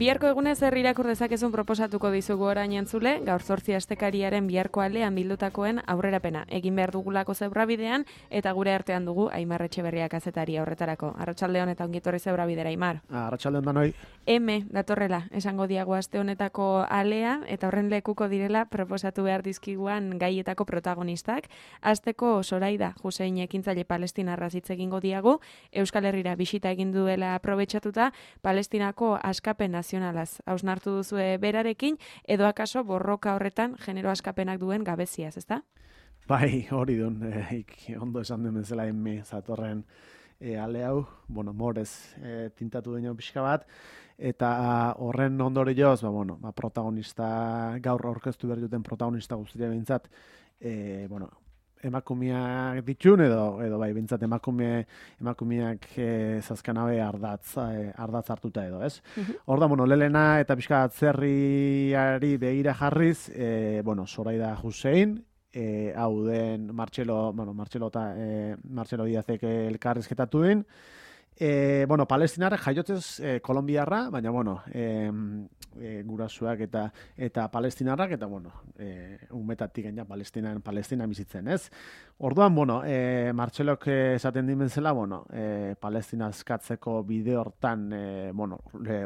Biharko egunez zer irakur dezakezun proposatuko dizugu orain entzule, gaur 8 astekariaren biharko aldean bildutakoen aurrerapena. Egin behar dugulako zebrabidean eta gure artean dugu Aimar Etxeberria kazetaria horretarako. Arratsaldeon eta ongitorri zebrabidera, Aimar. Arratsaldeon danoi. Datorrela, esango diago aste honetako alea eta horren lekuko direla proposatu behar dizkiguan gaietako protagonistak. Asteko Soraida Husein ekintzaile palestinarra hitz egingo diagu, Euskal Herrira bisita egin duela aprobetxatuta Palestinako askapen nazionalaz hausnartu duzue berarekin, edo akaso borroka horretan genero askapenak duen gabeziaz, ezta? Bai, hori dun, ondo esan den bezala zatorren ale hau, morez tintatu dena pixka bat, eta horren ondorioz, protagonista, gaur aurkeztu behar duten protagonista guztia behintzat, emakumeak ditun edo bai bintzat emakumeak zazkanabe ardatz hartuta edo, ez? Hor da, lelena eta pixka atzerriari begira jarriz, Soraida Husein, hau den Martxelo Diazek elkarrizketatu den, palestinarra jaiotzez kolombiarra, baina gurasuak eta palestinarrak eta umetatik gaina Palestina bizitzen, ez? Orduan, Martxelok esaten dimenzela, Palestina askatzeko bide hortan,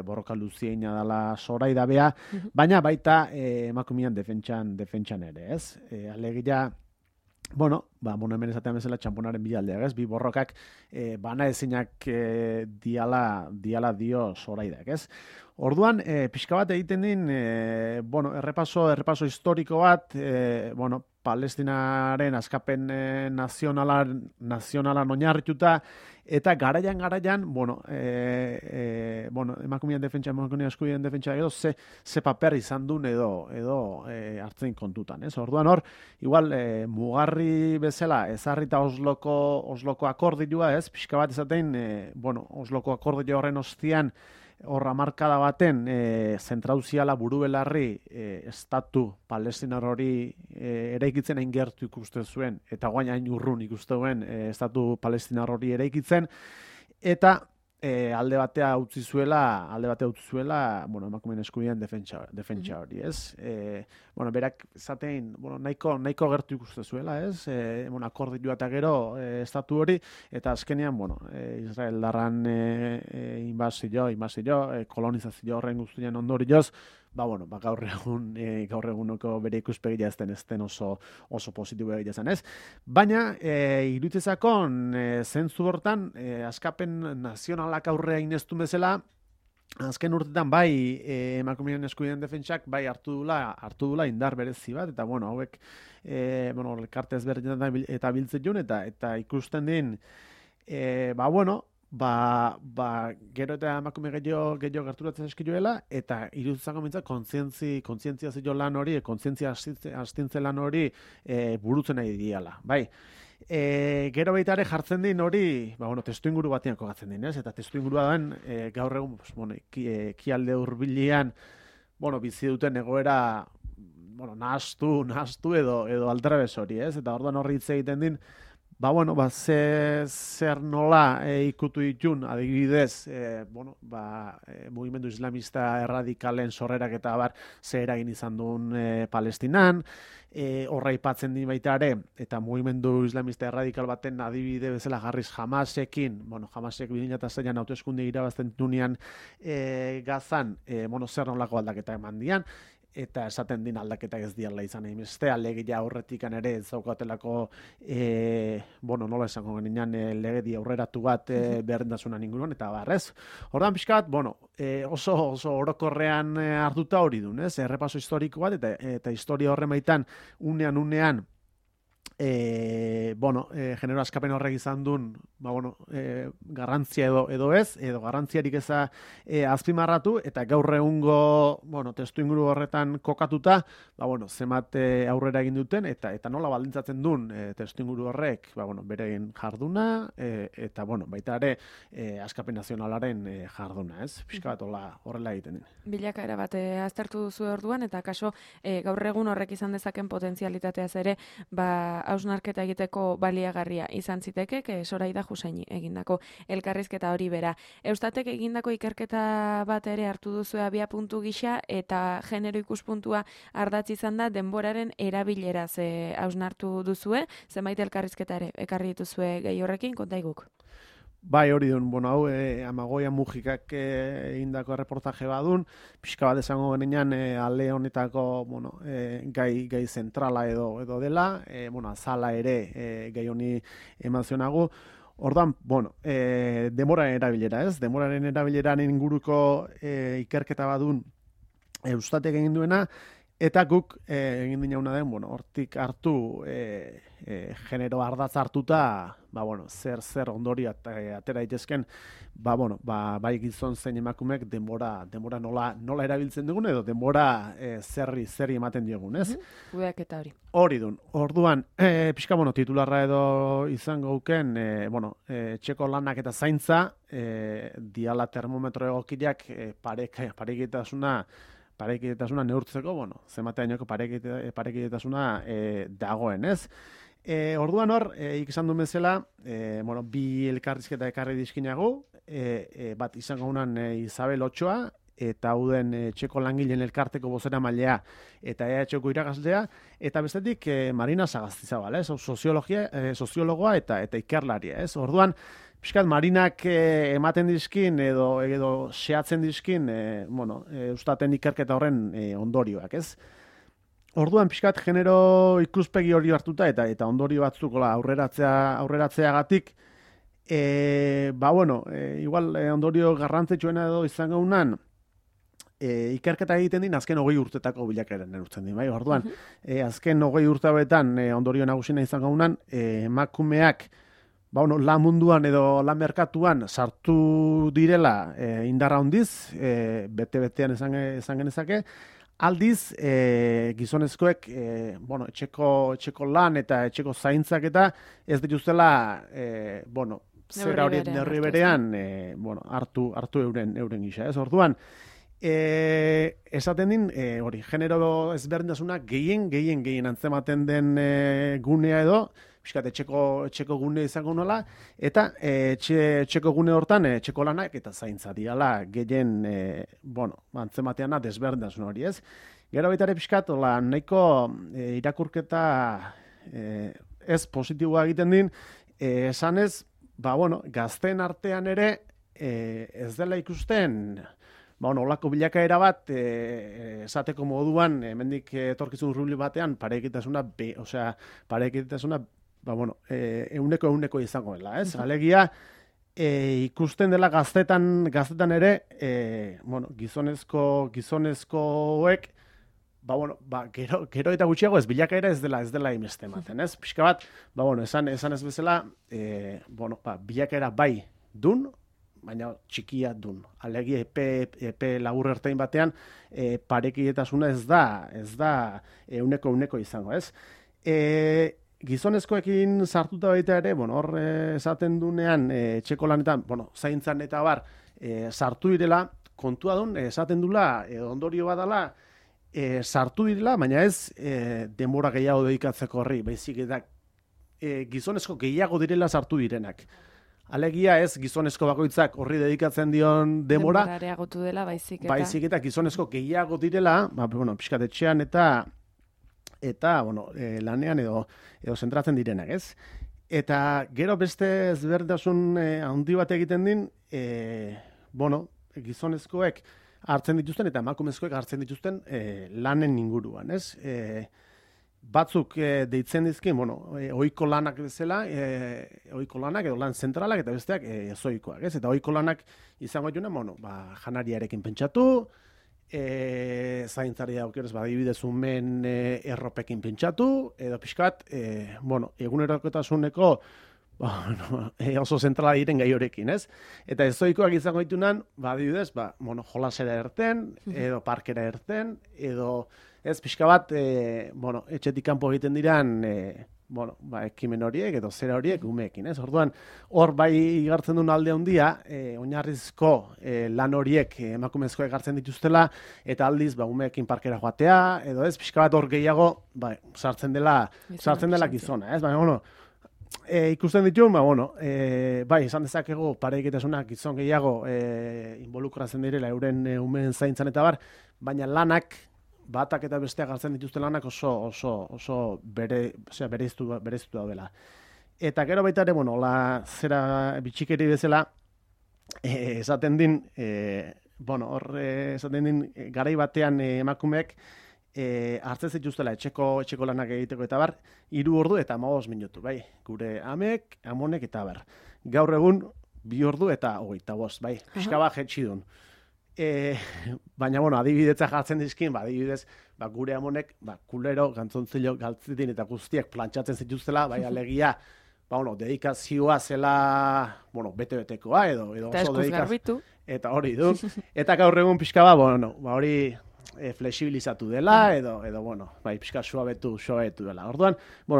borroka luzieina dela Soraida bea, baina baita emakumean defentsan ere, ez? Alegia, hemen esatean bezala txamponaren bi aldeak, ez? Bi borrokak bana ezinak diala dio Soraidak, ez? Orduan, pixka bat egiten din, errepaso historiko bat, Palestinaren askapen nazionalan oinarrituta, eta garaian, emakumean defentsa, emakumean eskubideen defentsa edo, ze paper izan duen edo hartzen kontutan, ez? Orduan hor, igual, mugarri bezala, ezarrita Osloko akordioa, ez? Pixka bat ezaten, Osloko akordio horren ostian, horra markada baten, zentrauziala buru belarri estatu palestinar hori eraikitzen hain gertu ikusten zuen, eta guain hain urrun ikusten estatu palestinar hori eraikitzen, eta alde batea utzi zuela, emakumeen eskubideen defentsa hori, ez? Berak zatein, nahiko gertu ikusten zuela, ez? Akordioa eta gero estatu hori, eta azkenean, Israel darran inbazio, kolonizazio horren guztien ondorioz, gaur eguneko bere ikuspegia ez den oso positibo egia zen, ez? Baina, iruditzezakon, zentzu hortan, askapen nazionalak aurrea ineztun bezala, azken urtetan bai emakumeen eskubideen defentsak bai hartu dula indar berezi bat, eta hauek elkarte ezberdinetan eta biltzen jun, eta ikusten din, gero eta emakume gehiago gerturatzen eskiluela, eta iruditzako mintzat kontzientziazio lan hori, kontzientzia astintze lan hori burutzen nahi diala, bai. Gero baita ere jartzen din hori, testu inguru batean kokatzen din, ez? Eta testu ingurua den, gaur egun, ekialde hurbilean, bizi duten egoera, nahastu edo aldrebes hori, ez? Eta orduan horri hitz egiten din, zer nola ikutu ditun, adibidez, mugimendu islamista erradikalen sorrerak eta zer eragin izan duen Palestinan, horra ipatzen din baita ere, eta mugimendu islamista erradikal baten adibide bezala jarriz Hamasekin, Hamasek 2006an hauteskunde irabazten dunean Gazan, zer nolako aldaketa eman dian, eta esaten din aldaketak ez diala izan egin. Alegia aurretikan ere ez daukatelako, nola esango genian, legedi aurreratu bat berdintasunan inguruan, eta barrez. Hordan pixkat, oso orokorrean hartuta hori duen, ez? Errepaso historiko bat, eta historia horren baitan, unean, genero askapen horrek izan duen, garrantzia edo ez, edo garrantziarik eza azpimarratu, eta gaur egungo, testu inguru horretan kokatuta, zenbat aurrera egin duten, eta nola baldintzatzen duen testu inguru horrek, beren jarduna, eta baita ere askapen nazionalaren jarduna, ez? Pixka bat horrela egiten. Bilakaera bat aztertu duzu orduan, eta kaso gaur egun horrek izan dezaken potentzialitateaz ere, hausnarketa egiteko baliagarria izan ziteke, Zoraida Juseini egindako elkarrizketa hori bera. Eustatek egindako ikerketa bat ere hartu duzu abia puntu gisa, eta genero ikuspuntua ardatz izan da denboraren erabileraz hausnartu duzue, zenbait elkarrizketa ere ekarri dituzue gehi horrekin, kontaiguk. Bai, hori duen, hau, Amagoia Mujikak egindako erreportaje badun, pixka bat esango genean ale honetako, gai zentrala edo dela, azala ere gai honi eman zionagu. Ordan, demoraren erabilera, ez? Demoraren erabileran inguruko ikerketa badun Eustatek egin duena, eta guk egin dinauna den, hortik hartu genero ardatz hartuta, zer ondori atera daitezken, bai gizon zein emakumek denbora nola erabiltzen dugun, edo denbora zerri ematen diogun, ez? Kudeaketa hori. Hori dun. Orduan, pixka, titularra edo izango guken, etxeko lanak eta zaintza, diala termometro egokiak parekidetasuna neurtzeko, zenbateainoko parekidetasuna dagoen, ez? Orduan hor, ikizan duen bezala, bi elkarrizketa ekarri dizkinagu, bat izango unan Isabel Otxoa, eta hauden etxeko langileen elkarteko bozera mailea eta EHko irakaslea, eta bestetik Marina Sagastizabal, ez? Soziologoa eta ikerlaria, ez? Orduan, pixkat Marinak ematen dizkin edo xeatzen dizkin, Eustaten ikerketa horren ondorioak, ez? Orduan, pixkat genero ikuspegi hori hartuta eta ondorio batzuk aurreratzeagatik, igual ondorio garrantzitsuena edo izango unan, ikerketa egiten din azken 20 urtetako bilakaeran neurtzen din, bai? Orduan, azken 20 urte hauetan ondorio nagusina izango unan, emakumeak lan munduan edo lan merkatuan sartu direla indarra handiz, bete-betean esan genezake, aldiz, gizonezkoek, etxeko lan eta etxeko zaintzak eta ez dituztela, zera hori neurri berean, hartu euren gisa, ez? Orduan, esaten din, hori, genero ezberdintasuna gehien antzematen den gunea edo, pixkat etxeko gune izango nola, eta etxeko gune hortan etxeko lanak eta zaintza diala gehien, antzemateana desberdintasun hori, ez? Gero baita ere pixkat, nahiko irakurketa ez positiboa egiten din, esanez, gazteen artean ere ez dela ikusten, olako bilakaera bat, esateko moduan, hemendik etorkizun rubli batean, parekitasuna euneko izango dela, ez? Alegia, ikusten dela gaztetan ere, gizonezkoek, gero eta gutxiago ez bilakaera ez dela imeste ematen, ez? Pixka bat, esan ez bezala, bilakaera bai dun, baina txikia dun. Alegia epe labur ertain batean, parekidetasuna ez da euneko izango, ez? Gizonezkoekin sartuta baita ere, hor esaten dunean, etxeko lanetan, zaintzan eta bar, sartu direla, kontua dun, esaten dula, ondorio badala, sartu direla, baina ez denbora gehiago dedikatzeko horri, baizik eta gizonezko gehiago direla sartu direnak. Alegia ez gizonezko bakoitzak horri dedikatzen dion denbora areagotu dela, baizik eta gizonezko gehiago direla, pixkat etxean eta lanean edo zentratzen direnak, ez? Eta gero beste ezberdintasun handi bat egiten din, gizonezkoek hartzen dituzten eta emakumezkoek hartzen dituzten lanen inguruan, ez? Batzuk deitzen dizkin, ohiko lanak bezala, ohiko lanak edo lan zentralak eta besteak ezoikoak, ez? Eta ohiko lanak izango juna, janariarekin pentsatu, zaintzari daukionez adibidez umen erropekin pentsatu, edo pixkat, egunerokotasuneko oso zentrala diren gai horekin, ez? Eta ezoikoak izango ditunan, adibidez, jolasera erten, edo parkera erten, edo ez pixka bat, etxetik kanpo egiten diran bueno, ekimen horiek edo zera horiek umeekin, ez? Orduan, hor bai igartzen duen alde handia, oinarrizko lan horiek emakumezko egartzen dituztela, eta aldiz, umeekin parkera joatea, edo ez, pixka bat hor gehiago, sartzen dela gizona, ez? Baina, ikusten ditu, esan dezakegu pareiketasunak gizon gehiago involukratzen direla euren umeen zaintzan eta bar, baina lanak, batak eta besteak hartzen dituzte lanak oso bereiztu daudela. Eta gero baita ere, zera bitxikeri bezala, esaten din, esaten din, garai batean emakumeek hartzen zituztela etxeko lanak egiteko eta bar, 3 ordu eta 15 minutu, bai, gure amek, amonek eta bar. Gaur egun 2 ordu eta 25, bai, pixka bat jetxi duen. Baina, adibidetza jartzen dizkin, adibidez, gure amonek, kulero, gantzontzilo, galtzitin eta guztiak plantxatzen zituztela, bai, alegia, dedikazioa zela, bete-betekoa, edo oso dedikazioa. Eta hori du. Eta gaur egun pixka hori flexibilizatu dela, edo pixka suabetu dela. Orduan,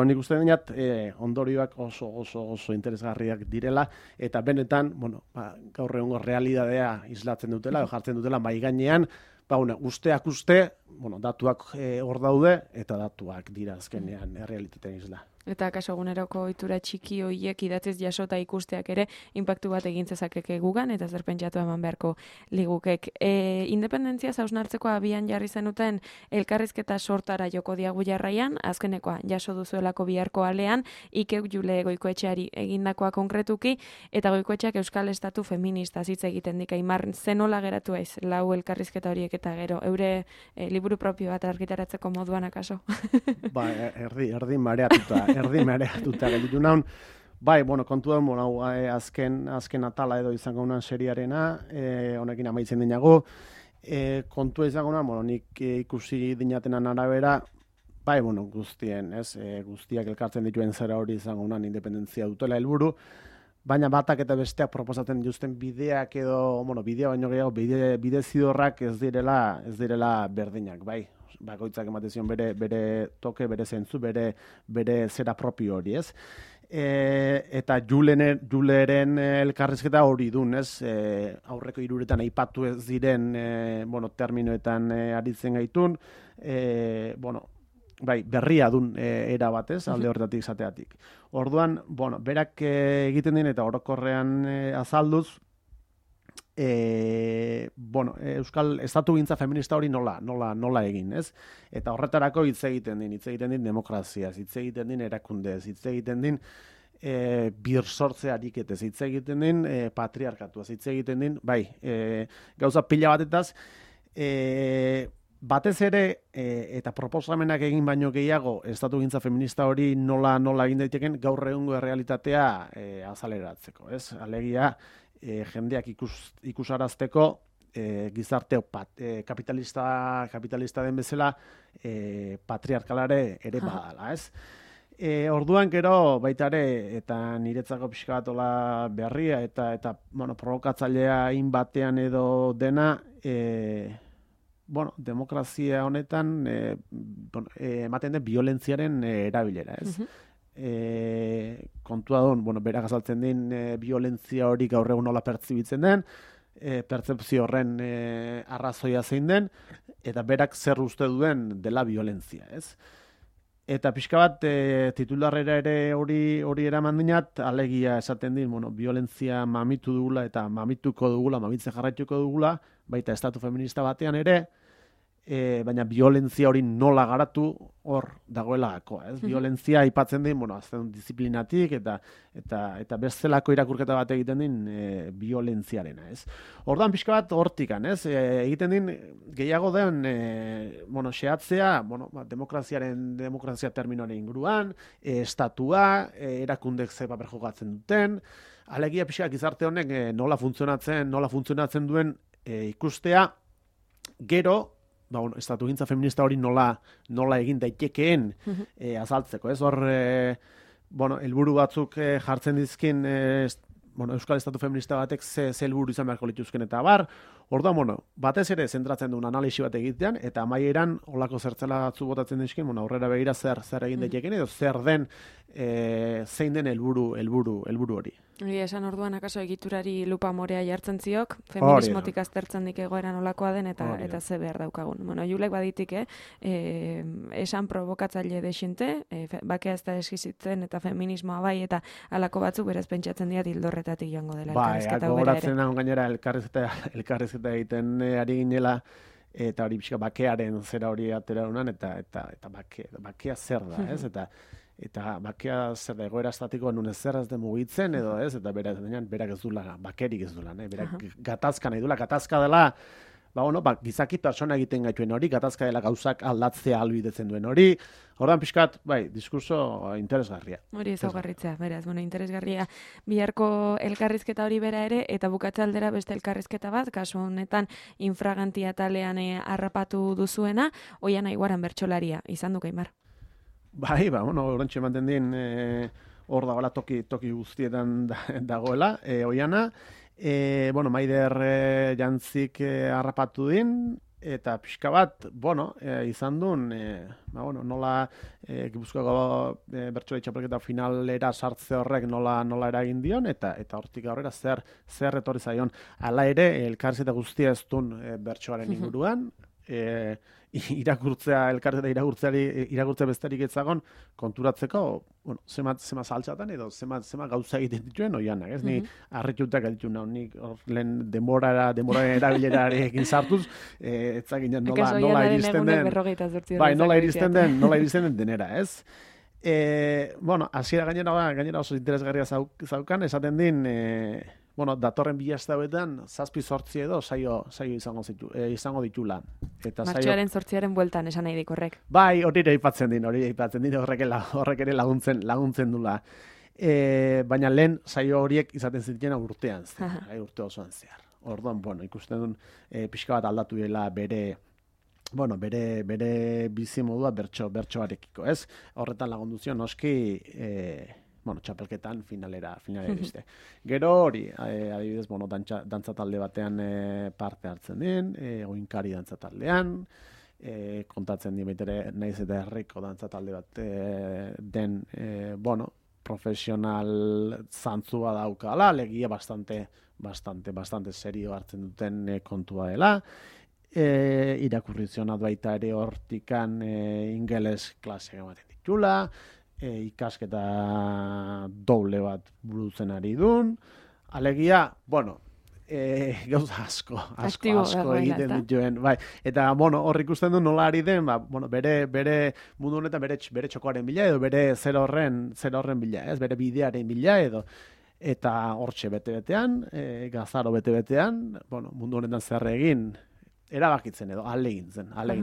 nik uste dinat, ondorioak oso interesgarriak direla, eta benetan, gaur egungo realidadea islatzen dutela, jartzen dutela mai gainean, usteak uste, datuak hor daude, eta datuak dira azkenean realitatean isla. Eta kaso eguneroko ohitura txiki horiek idatziz jasota ikusteak ere inpaktu bat egin zezakeke gugan eta zer pentsatu eman beharko ligukek. Independentzia hausnartzeko abian jarri zenuten elkarrizketa sortara joko diagu jarraian, azkenekoa jaso duzuelako biharko alean, Ikek Jule Goikoetxeari egindakoa konkretuki, eta Goikoetxeak Euskal Estatu feminista hitz egiten dik. Aimar, zenola geratu aiz, lau elkarrizketa horiek eta gero, eure liburu propio bat argitaratzeko moduan akaso? Erdi mareatuta gelditu naun. Kontu da, azken atala edo izango unan seriarena, honekin amaitzen dinago. Kontua izango unan, nik ikusi dinatenan arabera, guztien, guztiak elkartzen dituen zera hori izango unan independentzia dutela helburu, baina batak eta besteak proposatzen dituzten bideak edo, bidea baino gehiago, bide zidorrak ez direla berdinak, bai. Bakoitzak ematen zion bere toke, bere zentzu, bere zera propio hori, ez? Eta Juleren elkarrizketa hori dun, ez? Aurreko 3 aipatu ez diren, terminoetan aritzen gaitun, berria dun era batez, alde horretatik zateatik. Orduan, berak egiten din eta orokorrean azalduz, Euskal Estatugintza feminista hori nola egin, ez? Eta horretarako hitz egiten din demokraziaz, hitz egiten din erakundez, hitz egiten din birsortze ariketez, hitz egiten din patriarkatuaz, hitz egiten din, gauza pila batetaz, batez ere, eta proposamenak egin baino gehiago, estatugintza feminista hori nola egin daiteken gaur egungo realitatea azaleratzeko, ez? Alegia, jendeak ikusarazteko gizarte kapitalista den bezala patriarkalare ere badala, ez? Orduan gero baita ere, eta niretzako pixka batola berria, eta provokatzailea batean edo dena, demokrazia honetan ematen den violentziaren erabilera, ez? Kontua duen, berak azaltzen din violentzia hori gaur egun nola pertzibitzen den, pertzepzio horren arrazoia zein den, eta berak zer uste duen dela violentzia, ez? Eta pixka bat titularrera ere hori eraman dinat, alegia esaten din, violentzia mamitu dugula eta mamituko dugula, mamitzen jarraituko dugula, baita estatu feminista batean ere, baina violentzia hori nola garatu hor dagoela gakoa, ez? Violentzia aipatzen din, azten disiplinatik eta bestelako irakurketa bat egiten din violentziarena, ez? Ordan pixka bat hortikan, ez? Egiten din gehiago den xehatzea, demokrazia terminoaren inguruan, estatua, erakundek ze paper jokatzen duten, alegia pixka gizarte honek nola funtzionatzen duen ikustea, gero estatugintza feminista hori nola egin daitekeen azaltzeko, ez? Hor, helburu batzuk jartzen dizkin Euskal Estatu feminista batek ze helburu izan beharko lituzken eta bar, Orduan, batez ere zentratzen duen analisi bat egitean, eta amaieran olako zertzela batzu botatzen dizkin, aurrera begira zer egin daiteken, edo zer den, zein den helburu hori. Esan orduan, akaso egiturari lupa morea jartzen ziok, feminismotik aztertzen dik egoeran olakoa den, eta ze behar daukagun. Julek baditik, esan provokatzaile desinte, bakea ez da eskizitzen, eta feminismoa bai, eta alako batzuk berez pentsatzen dira dildorretatik joango dela elkarrizketa. Gogoratzen nahi gainera elkarrizketa egiten ari ginela, eta hori pixka bakearen zera hori atera honan, eta bakea zer da, ez? Eta bakea zer da, egoera estatikoa nun ez zer ez den mugitzen, edo ez, eta berak ez dula, bakerik ez dula, berak gatazka nahi dula, gatazka dela, gizaki pertsona egiten gaituen hori, gatazka dela gauzak aldatzea albidetzen duen hori, ordan pixkat, diskurso interesgarria. Hori ezaugarritzea, beraz, interesgarria biharko elkarrizketa hori bera ere, eta bukatze aldera beste elkarrizketa bat, kasu honetan infragantia talean harrapatu duzuena, Oiana Iguaran bertsolaria, izan du Aimar. Orantxe ematen din, hor dagoela toki guztietan dagoela, Oiana, Maider jantzik harrapatu din, eta pixka bat, izan duen, nola Gipuzkoako bertsolari txapelketa finalera sartze horrek nola eragin dion, eta hortik aurrera zer etorri zaion. Hala ere, elkarrizketa guztia ez duen bertsoaren inguruan, irakurtzea besterik etzagon konturatzeko, zema saltxatan edo zema gauza egiten dituen Oianak, ez? Ni harritutak ditu nahi, nik lehen denboraren erabilerarekin sartuz, etzakinen nola iristen den, nola iristen den denera, ez? Hasiera gainera oso interesgarria zaukan, esaten din, datorren bilazte hauetan, 7-8 edo saio izango ditula. Martxoaren 8 bueltan esan nahi dik horrek. Bai, hori aipatzen din, horrek ere laguntzen dula. Baina lehen saio horiek izaten zitena urtean, urte osoan zehar. Orduan, ikusten duen pixka bat aldatu dela bere bizimodua bertsoarekiko, ez? Horretan lagundu zion noski txapelketan finalera iriste. Gero hori, adibidez, dantza talde batean parte hartzen din, oinkari dantza taldean, kontatzen di baitere naiz eta herriko dantza talde bat den, profesional zantzua daukala, legia bastante serio hartzen duten kontua dela, irakurrizionat baita ere hortikan ingeles klaseak ematen ditula, ikasketa doble bat burutzen ari dun, alegia, gauza asko egiten dituen, bai, eta hor ikusten du nola ari den, bere mundu honetan bere txokoaren bila edo bere zer horren bila, ez, bere bidearen bila edo, eta hortxe bete-betean, gazaro bete-betean, mundu honetan zer egin, erabakitzen edo alegin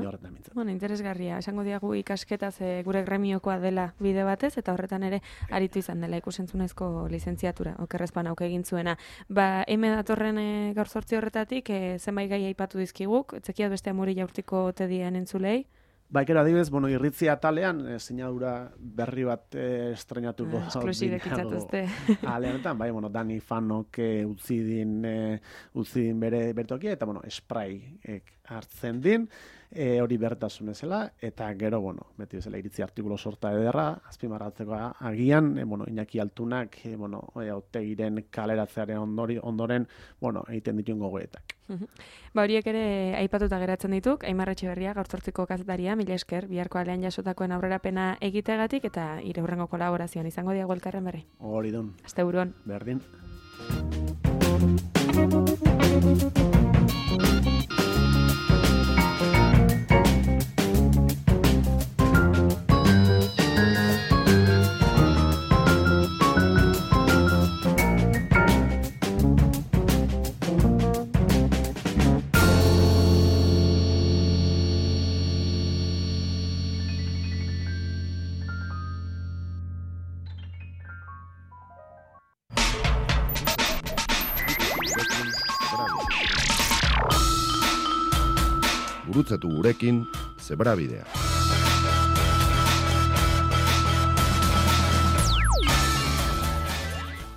horretan mintzen. Interesgarria. Esango diagu ikasketaz gure gremiokoa dela bide batez, eta horretan ere aritu izan dela ikusentzunezko lizentziatura, okerrezpan auke egin zuena. Hemen datorren gaur 8 horretatik, zenbait gai aipatu dizkiguk, etzekiat beste amuri jaurtiko tedien entzulei? Gero adibidez, irritzi atalean, sinadura berri bat estrenatuko. Esklusibek itzatuzte. Aleanetan, Dani Fanok utzi din bere tokia, eta, spray hartzen din, hori bertasun ezela, eta gero, beti bezala iritzi artikulo sorta ederra, azpimarratzeko agian, Iñaki Altunak, Otegiren kaleratzearen ondoren, egiten dituen gogoetak. Horiek ere aipatuta geratzen dituk, Aimar Etxeberria, gaur 8ko kazetaria, mila esker, biharko alean jasotakoen aurrerapena egitegatik, eta ire hurrengo kolaborazioan izango diago elkarren berri. Hori dun. Aste buruan. Berdin. Gurutzatu gurekin Zebrabidea.